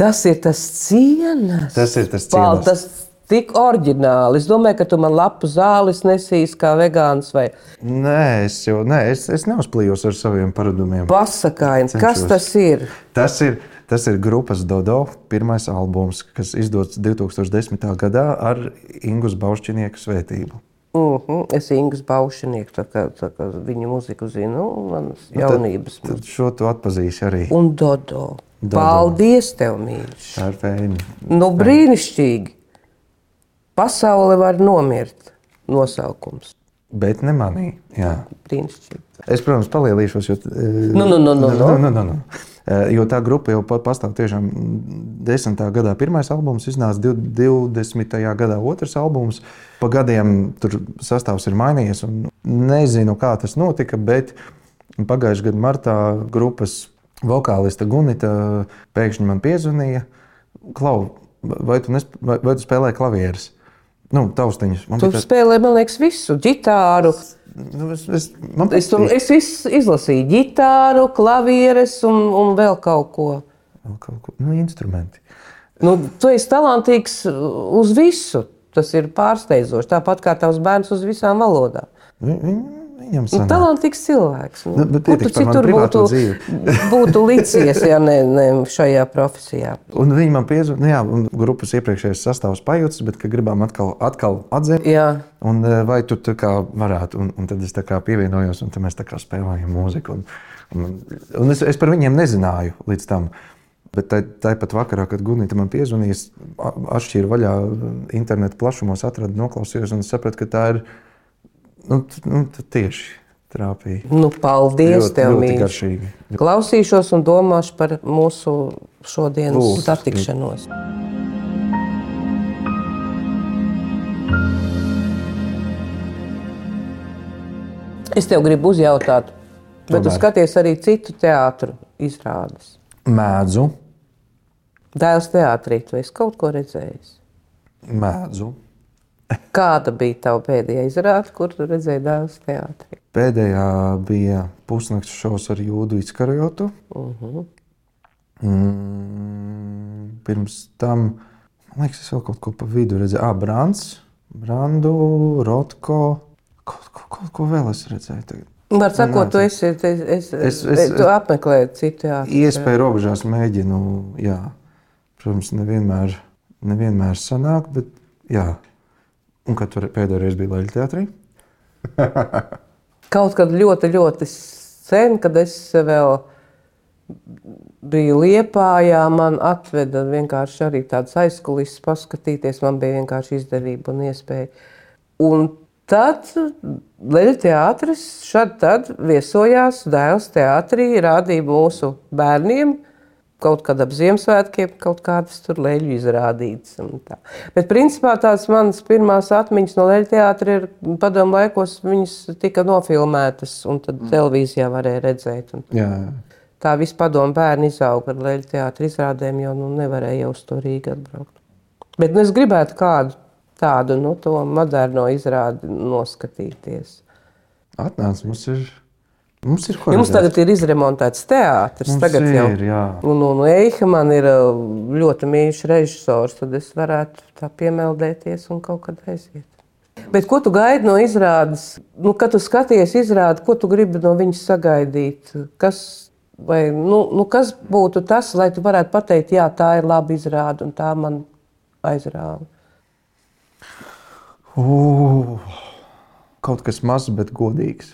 Tas ir tas cienas. Tas ir tas cienas. Pal, tas tik oriģināli. Es domāju, ka tu man lapu zāles nesīs kā vegāns vai... Nē, es jau, nē, es, es neuzplījos ar saviem paradumiem. Pasakaini, kas tas ir? Tas ir, tas ir grupas Dodo pirmais albums, kas izdots divi tūkstoši desmitā gadā ar Ingus Baušķinieku svētību. Uh-huh. Es Ingus Baušķinieku, tā kā, tā kā viņu muziku zinu, manas jaunības. Tad, tad šo tu atpazīsi arī. Un Dodo. Dodo. Paldies tev, mīļš. Tā ir fēni. Nu, brīnišķīgi. Pasaule var nomirt. Nosaukums. Bet ne manī. Jā. Brīnišķīgi. Es, protams, palielīšos, jo... Nu, nu, nu, nu, nu, nu, nu, nu. Jo tā grupa jau pastāv tiešām desmitā gadā. Pirmais albums iznāca divdesmitajā gadā otrs albums. Pa gadiem tur sastāvs ir mainījies un nezinu, kā tas notika, bet Un pagājušajā gadā martā grupas vokāliste Gunita pēkšņi man piezvanīja. Klau, vai tu, nesp... vai, vai tu spēlē klavieres? Nu, taustiņus. Man Tu tā... spēlē, man liekas, visu. Ģitāru. Nu, es, es, man Es, tu, es visu izlasīju. Ģitāru, klavieres un, un vēl kaut ko. Vēl kaut ko. Nu, instrumenti. Nu, tu esi talantīgs uz visu. Tas ir pārsteidzoši. Tāpat kā tavs bērns uz visām valodām. Vi, viņ, viņam Nu, sanāk. talantīgs cilvēks. Nu, Nu, bet kur pietiks tu par manu citur privāto būtu, dzīvi. būtu licies, ja ne, ne šajā profesijā? Un viņi man piezvanīja, nu jā, un grupas iepriekšējais sastāvs pajūtas, bet ka gribām atkal, atkal atzīt. Jā. Un vai tu tā kā varētu, un, un tad es tā kā pievienojos, un tad mēs tā kā spēlējam mūziku. Un, un, un es, es par viņiem nezināju līdz tam. Bet tāpat vakarā, kad Gunita man piezvanīja, es atšķīru vaļā internetu plašumos, atradu, noklausījos un sapratu, ka tā ir nu, nu, tieši trāpīja. Nu, paldies Ļoti, tev, ļoti mīļš. garšīgi. Klausīšos un domāšu par mūsu šodienas Lūdzu. satikšanos. Es tev gribu uzjautāt, bet tu Tomēr. skaties arī citu teātru izrādes. Mēdzu, Dēls teātrī, tu esi kaut ko redzējis. mēdzu. Kāda bija tava pēdējā izrāde, kur tu redzēji Dēls teātrī? Pēdējā bija pusnakts šovs ar Jūdu Iskarijotu. Uh-huh. Mm, pirms tam, man liekas, es vēl kaut ko pa vidu redzēju. Ah, Brands, Brandu, Rotko, kaut ko, kaut ko vēl es redzēju tagad. Var sakot, Nē, tu esi, es, es, Es- es- tu apmeklēji citu teātru. Iespēju robežās mēģinu, jā. Protams, nevienmēr, nevienmēr sanāk, bet jā. Un kad tur pēdējo reizi bija Leļu teātrī? Kaut kad ļoti, ļoti sen, kad es vēl biju Liepājā, man atveda vienkārši arī tādas aizkulisses paskatīties. Man bija vienkārši izdevība un iespēja. Un tad Leļu teātris šad tad viesojās Dēls teātrī, rādīja mūsu bērniem kaut kad ap Ziemassvētkiem, kaut kādas tur leļu izrādītas. un tā. Bet principā tās manas pirmās atmiņas no Leļu teātra ir padomu laikos, viņas tika nofilmētas un tad televīzijā varēja redzēt. Un Jā, jā. tā visi padomu bērni izauga ar Leļu teātra izrādēm, jo nu, nevarēja jau uz to Rīgu atbraukt. Bet nu, es gribētu kādu tādu, nu, to moderno izrādi noskatīties. Atnāc, mums ir, mums ir ko Jums redzēt. tagad ir izremontēts teātris. Mums Tagad ir, jau jā. Un, un Eiha man ir uh, ļoti mīļš režisors, tad es varētu tā piemeldēties un kaut kad aiziet. Bet ko tu gaidi no izrādes? Nu, kad tu skaties izrādi, ko tu gribi no viņas sagaidīt? Kas, vai, nu, nu, kas būtu tas, lai tu varētu pateikt, jā, tā ir laba izrāde un tā man aizrāva? Uh, kaut kas mazs, bet godīgs.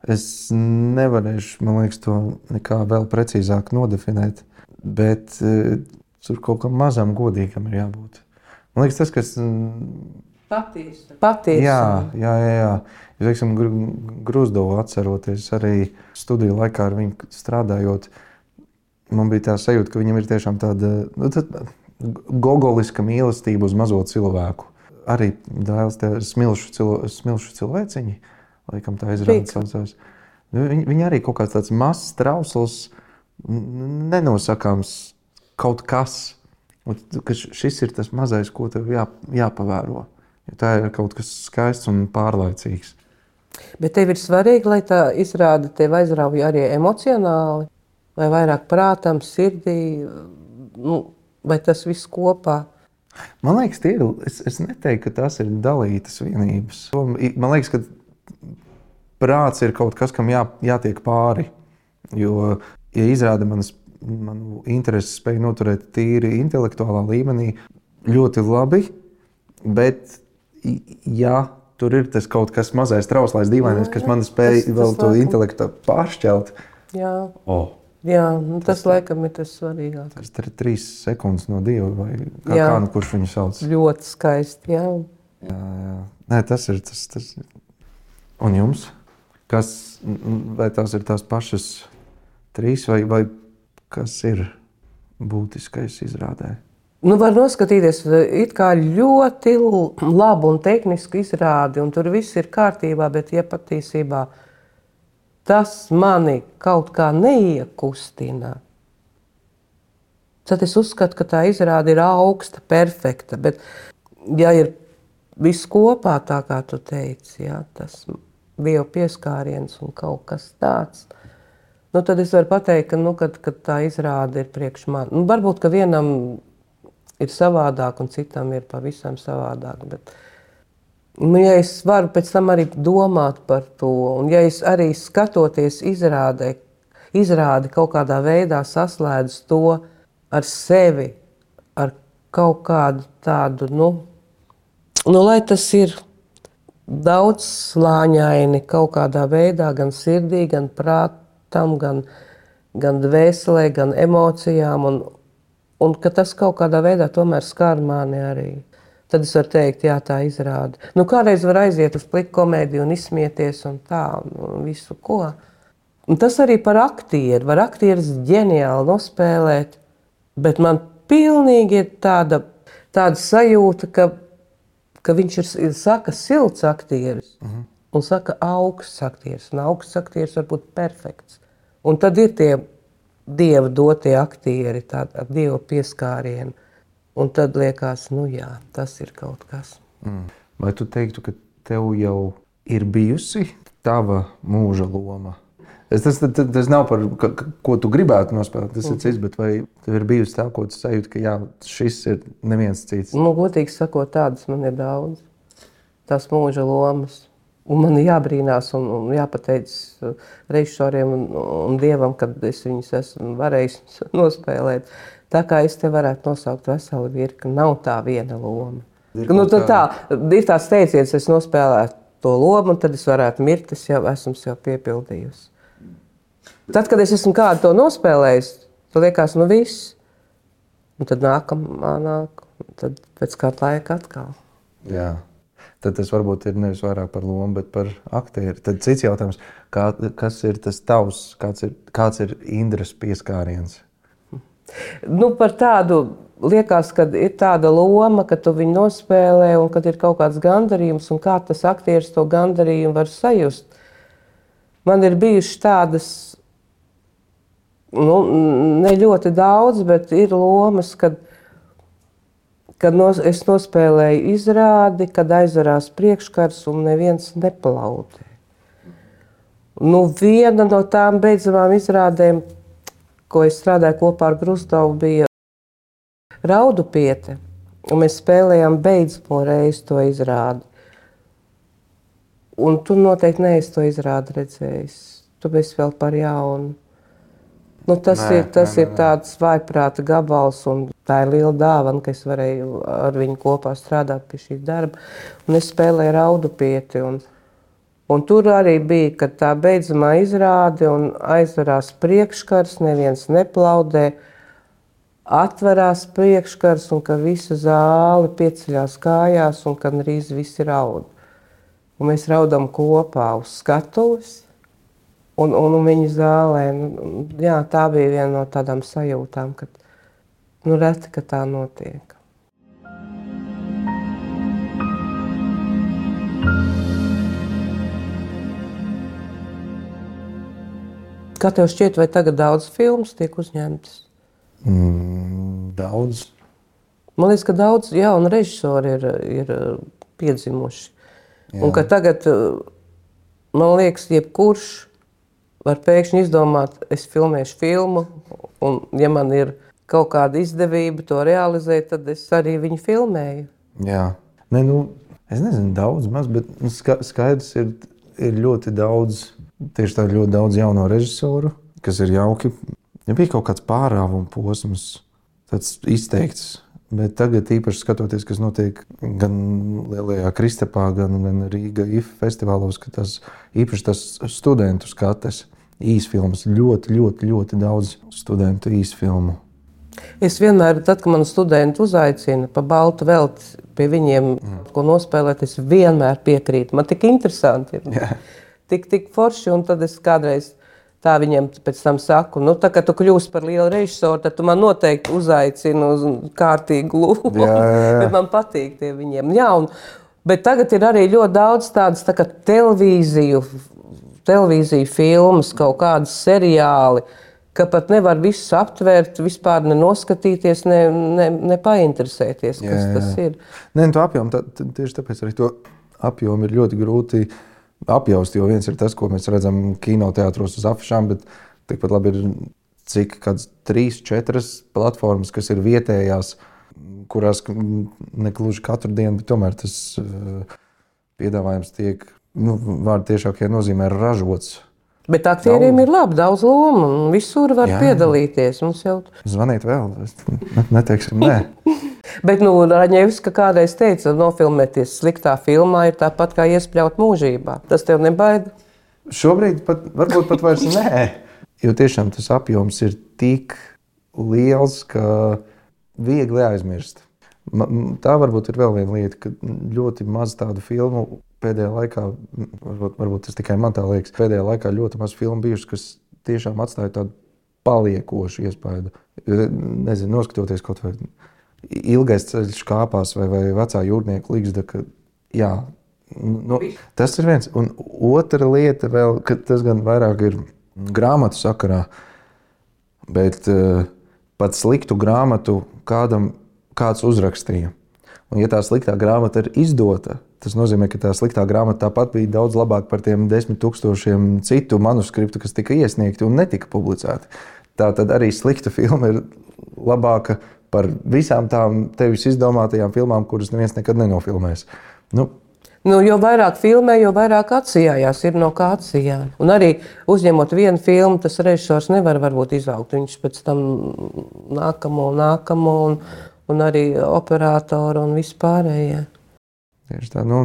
Es nevarēšu, man liekas, to nekā vēl precīzāk nodefinēt, bet uh, tur kaut kam mazam godīgam ir jābūt. Man liekas, tas, kas... Patiesi. Patiesi. Jā, jā, jā. jā. Es, teiksim, Gruzdovu atceroties arī studiju laikā ar viņu strādājot, man bija tā sajūta, ka viņam ir tiešām tāda nu, tāda gogoliska mīlestība uz mazo cilvēku. Arī Dēls te smilšu, cilo, smilšu cilvēciņi, laikam tā izrāda saucās. Viņi, viņi arī kaut kāds tāds mazs, trausls, nenosakāms kaut kas. Un, ka šis ir tas mazais, ko tev jā, jāpavēro. Jo tā ir kaut kas skaists un pārlaicīgs. Bet tev ir svarīgi, lai tā izrāde tev aizrauja arī emocionāli, vai vairāk prātam, sirdī, nu, vai tas viss kopā? Man liekas, tie ir, es, es neteiktu, ka tās ir dalītas vienības. Man liekas, ka prāts ir kaut kas, kam jā, jātiek pāri. Jo, ja izrāda manas, manu interesi spēju noturēt tīri intelektuālā līmenī, ļoti labi, bet ja tur ir tas kaut kas mazais, trauslais, dīvainais, kas man spēj tas- tas vēl to laikam. intelektu pāršķelt, Jā, oh, jā nu, tas laikam ir tas svarīgākais. tas ir trīs sekundes no Dieva, vai kā, Jā. kā nu kurš viņu sauc. Ļoti skaisti, jā. Jā, jā. Nē, tas ir tas, tas. Un jums? Kas, vai tās ir tās pašas trīs, vai, vai kas ir būtiskais izrādē? Nu, var noskatīties it kā ļoti labu un tehnisku izrādi, un tur viss ir kārtībā, bet ja patiesībā tas mani kaut kā neiekustina, tad es uzskatu, ka tā izrāde ir augsta, perfekta. Bet, ja ir viss kopā, tā kā tu teici, ja, tas Dieva pieskāriens un kaut kas tāds, nu, tad es varu pateikt, ka, nu, kad, kad tā izrāde ir priekš man. Nu, varbūt, ka vienam ir savādāk un citam ir pavisam savādāk. Bet, nu, ja es varu pēc tam arī domāt par to, un ja es arī skatoties izrādē, izrādi kaut kādā veidā saslēdzu to ar sevi, ar kaut kādu tādu, nu, nu lai tas ir daudz slāņaini kaut kādā veidā, gan sirdī, gan prātam, gan, gan dvēselē, gan emocijām, un Un ka tas kaut kādā veidā tomēr skar mani arī. Tad es varu teikt, jā, tā izrāda. Nu, kādreiz var aiziet uz pliku komēdiju un izsmieties un tā, un visu ko. Un tas arī par aktieru. Var aktieris ģeniāli nospēlēt, bet man pilnīgi ir tāda, tāda sajūta, ka, ka viņš ir, ir saka silts aktieris mhm. un saka augsts aktieris. Un augsts aktieris var būt perfekts. Un tad ir tie Dieva dotie aktieri, tāda ar Dieva pieskārienu. Un tad liekas, nu jā, tas ir kaut kas. Mm. Vai tu teiktu, ka tev jau ir bijusi tava mūža loma? Es, tas, tas, tas nav par, ka, ko tu gribētu nospēlēt, tas mm. ir cits, bet vai tev ir bijusi tā, ko tu sajūti, ka jā, šis ir neviens cits? Nu, godīgi sakot, tādas man ir daudz. Tās mūža lomas. Un man ir jābrīnās un, un jāpateic režisoriem un, un Dievam, kad es viņus esmu varējis nospēlēt. Tā kā es te varētu nosaukt veselu virkni, nav tā viena loma. Nu, tad tā, ir tās teiciens, es nospēlētu to lomu, un tad es varētu mirt, es jau esmu sev piepildījusi. Tad, kad es esmu kādu to nospēlējis, tad liekas, nu viss. Un tad nākamā nāk, tad pēc kāda laika atkal. Jā. Tad tas varbūt ir nevis vairāk par lomu, bet par aktieri. Tad cits jautājums, kā, kas ir tas tavs, kāds ir, kāds ir Indras pieskāriens? Nu, par tādu, liekas, kad ir tāda loma, ka tu viņu nospēlē un kad ir kaut kāds gandarījums un kā tas aktieris to gandarījumu var sajust. Man ir bijušas tādas, nu, ne ļoti daudz, bet ir lomas, kad Kad nos, es nospēlēju izrādi, kad aizvarās priekškars un neviens neplaudē. Nu, viena no tām beidzamām izrādēm, ko es strādāju kopā ar Grusdovu, bija Raudupiete. Un mēs spēlējām beidzamo reizi to izrādi. Un tu noteikti neesi to izrādi redzējis. Tu esi vēl par jaunu. Nu, tas nē, ir, tas nē, ir tāds vājprāta gabals, un tā ir liela dāvana, ka es varēju ar viņu kopā strādāt pie šī darba. Un es spēlēju Raudupieti, un, un tur arī bija, kad tā beidzamā izrāde un aizvarās priekškars, neviens neplaudē, atverās priekškars, un ka visa zāle pieceļās kājās, un ka drīz visi raud. Un mēs raudam kopā uz skatuves. Un, un, un viņa zālē, nu, jā, tā bija viena no tādām sajūtām, kad, nu, reti, ka tā notiek. Kā tev šķiet, vai tagad daudz filmas tiek uzņemtas? Mm, daudz. Man liekas, ka daudz jaunu režisori ir, ir piedzimuši. Jā. Un ka tagad, man liekas, jebkurš var pēkšņi izdomāt, es filmēšu filmu, un ja man ir kaut kāda izdevība to realizēt, tad es arī viņu filmēju. Jā. Ne, nu, es nezinu, daudz maz, bet skaidrs ir, ir ļoti daudz, tieši tā ļoti daudz jauno režisoru, kas ir jauki. Ja bija kaut kāds pārāvuma posms, tāds izteikts, bet tagad īpaši skatoties, kas notiek gan Lielajā Kristapā, gan, gan Rīga I F festivālos, ka tas īpaši tas studentu skates īsfilmas, ļoti, ļoti, ļoti daudz studentu īsfilmu. Es vienmēr, tad, kad man studenti uzaicina pa baltu velti pie viņiem, mm. ko nospēlēt, es vienmēr piekrītu. Man tik interesanti ir, yeah. tik, tik forši, un tad es kādreiz tā viņiem pēc tam saku, nu, tā, kad tu kļūsi par lielu režisoru, tad tu man noteikti uzaicini uz kārtīgu lūgu. Jā, jā, jā. Bet man patīk tie viņiem. Jā, un, bet tagad ir arī ļoti daudz tādas tā kā televīziju televīzija, filmas, kaut kādas seriāli, ka pat nevar visu aptvērt, vispār nenoskatīties, ne, ne, ne painteresēties, kas jā, jā. tas ir. Nē, to apjomu, tā, tieši tāpēc arī to apjomu ir ļoti grūti apjaust, jo viens ir tas, ko mēs redzam kinoteātros uz afišām, bet tikpat labi ir cik kāds trīs, četras platformas, kas ir vietējās, kurās nekluži katru dienu, bet tomēr tas piedāvājums tiek, nu, vārdu tiešākajā nozīmē ražots. Bet aktieriem daudz. Ir labi, daudz lomu, un visur var jā, piedalīties. Mums jau... Zvanīt vēl, neteiksim, nē. Bet, nu, Raņevska kādreiz teica, nofilmēties sliktā filmā ir tāpat kā iespļaut mūžībā. Tas tev nebaida? Šobrīd pat, varbūt pat vairs nē, jo tiešām tas apjoms ir tik liels, ka viegli aizmirst. Tā varbūt ir vēl viena lieta, ka ļoti maz tādu filmu pēdējā laikā, varbūt, varbūt tas tikai man tā liekas, pēdējā laikā ļoti maz filmu bijušas, kas tiešām atstāja tādu paliekošu iespaidu. Nezinu, noskatoties kaut vai Ilgais ceļš kāpās vai, vai Vecā jūrnieka ligzda, ka jā, nu, tas ir viens. Un otra lieta vēl, ka tas gan vairāk ir grāmatu sakarā, bet uh, pat sliktu grāmatu kādam kāds uzrakstīja. Un ja tā sliktā grāmata ir izdota, tas nozīmē, ka tā sliktā grāmata tāpat bija daudz labāka par tiem desmit tūkstošiem citu manuskriptu, kas tika iesniegti un netika publicēti. Tā tad arī slikta filma ir labāka par visām tām tevis izdomātajām filmām, kuras neviens nekad nenofilmēs. Nu, Nu, jo vairāk filmē, jo vairāk atsijājās, ir no kā atsijāt. Un arī uzņemot vienu filmu, tas režisors nevar varbūt izaugt. Viņš pēc tam nākamo, nākamo un, un arī operātoru un vispārējie. Tieši tā, nu...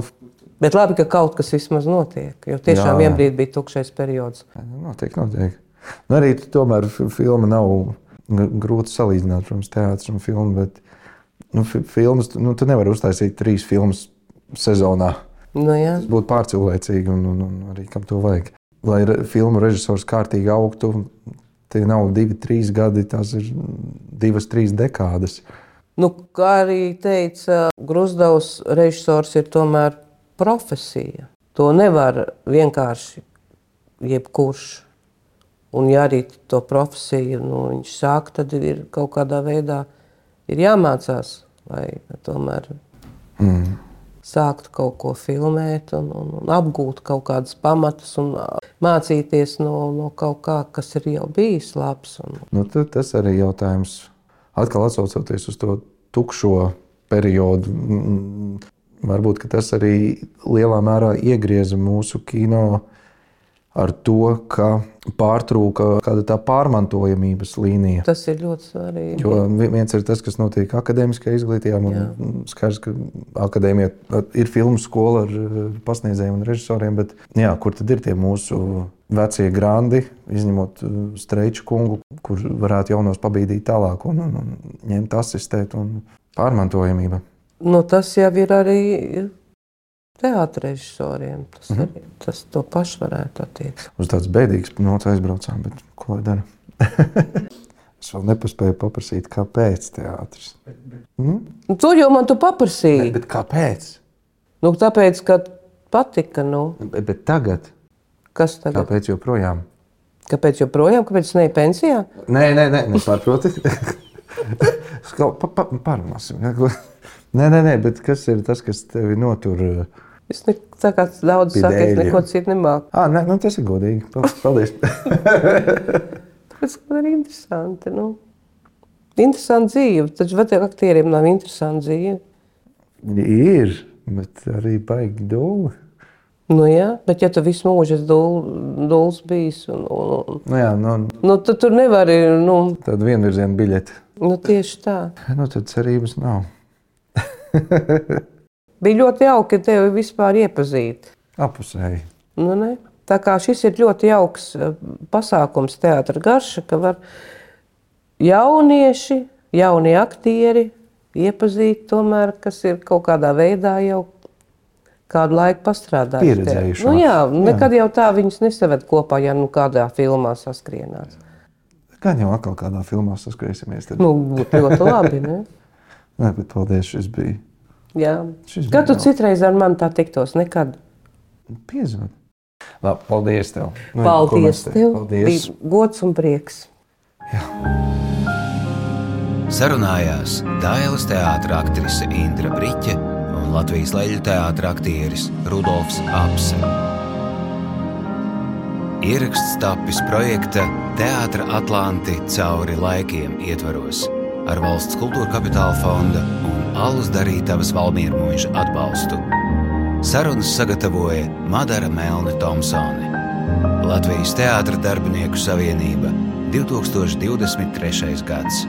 Bet labi, ka kaut kas vismaz notiek, jo tiešām vienbrīd bija tukšais periods. Notiek, notiek. Nu, arī tomēr filma nav grūti salīdzināt, protams, teātris un filmu, bet nu, filmas, nu, tu nevari uztaisīt trīs filmas sezonā. Nu, jā. Tas būtu pārcilvēcīgi un, un, un arī kam to vajag. Lai re, filmu režisors kārtīgi augtu, tie nav divi, trīs gadi, tās ir divas, trīs dekādas. Nu, kā arī teica Gruzdavs, režisors ir tomēr profesija. To nevar vienkārši jebkurš. Un ja arī to profesiju nu, viņš sāk, tad ir kaut kādā veidā ir jāmācās, lai tomēr... Mm. Sākt kaut ko filmēt un, un, un apgūt kaut kādas pamatus un mācīties no, no kaut kā, kas ir jau bijis labs. Un... Nu, tas arī jautājums, atkal atsaucoties uz to tukšo periodu, varbūt, ka tas arī lielā mērā iegrieza mūsu kino ar to, ka pārtrūka kāda tā pārmantojamības līnija. Tas ir ļoti svarīgi. Jo viens ir tas, kas notiek akadēmiskajā izglītībā. Man skaidrs, ka akadēmija ir filmu skola ar pasniedzējiem un režisoriem, bet jā, kur tad ir tie mūsu vecie grandi, izņemot Streiču kungu, kur varētu jaunos pabīdīt tālāk un, un, un ņemt asistēt un pārmantojamība. Nu, tas jau ir arī teātra režisoriem. Tas, mm-hmm. arī, tas to pašu varētu attiecināt. Uz tāds bēdīgs nots aizbraucām, bet ko lai dara? Es vēl nepaspēju paprasīt, kāpēc teātris. Mm? Nu, to jau man tu paprasīji. Bet, bet kāpēc? Nu, tāpēc, ka patika, nu. Bet, bet tagad? Kas tagad? Kāpēc joprojām? Kāpēc joprojām? Kāpēc es neju pensijā? Nē, nē, nē, nepārproti. pa, pa, Pārunāsim. Nē, nē, nē, bet kas ir tas, kas tevi notur? Es ne, tā kā daudz saka, es neko citu nemāku. Ā, nē, nu tas ir godīgi. Paldies. Tāpēc, ka ir interesanti, nu. Interesanti dzīve. Taču vai tev aktieriem nav interesanti dzīve? Ir, bet arī baigi dūli. Nu jā, bet ja tu visu mūžu esi dul, duls bijis un... un nu jā, nu... Nu, tad tur nevari, nu... Tāda vienvirziena biļete. Nu, tieši tā. Nu, tad cerības nav. Bija ļoti jauki tevi vispār iepazīt. Apusēji. Nu, ne? Tā kā šis ir ļoti jauks pasākums Teātra garša, ka var jaunieši, jaunie aktieri iepazīt tomēr, kas ir kaut kādā veidā jau kādu laiku pastrādājuši. Pieredzējuši. Nu jā, nekad jā. Jau tā viņus nesaved kopā, ja nu kādā filmā saskrienās. Gan jau atkal kādā filmā saskriesimies. Tad... Nu, būtu ļoti labi, ne? Nē, bet paldies, šis bija. Jā. Kad tu citreiz ar mani tā tiktos? Nekad? Piezvani. Labi, paldies tev. Nu, Paldies tev. Paldies. Bija gods un prieks. Sarunājās Dailes teātra aktrise Indra Briķe un Latvijas Leļu teātra aktieris Rudolfs Apse. Ieraksts tapis projekta Teātra Atlanti cauri laikiem ietvaros ar Valsts kultūra kapitāla fonda un Alus Darītavas Valmiermuiža atbalstu. Sarunas sagatavoja Madara Melne Tomsone. Latvijas Teātra darbinieku savienība, divtūkstoš divdesmit trešais gads.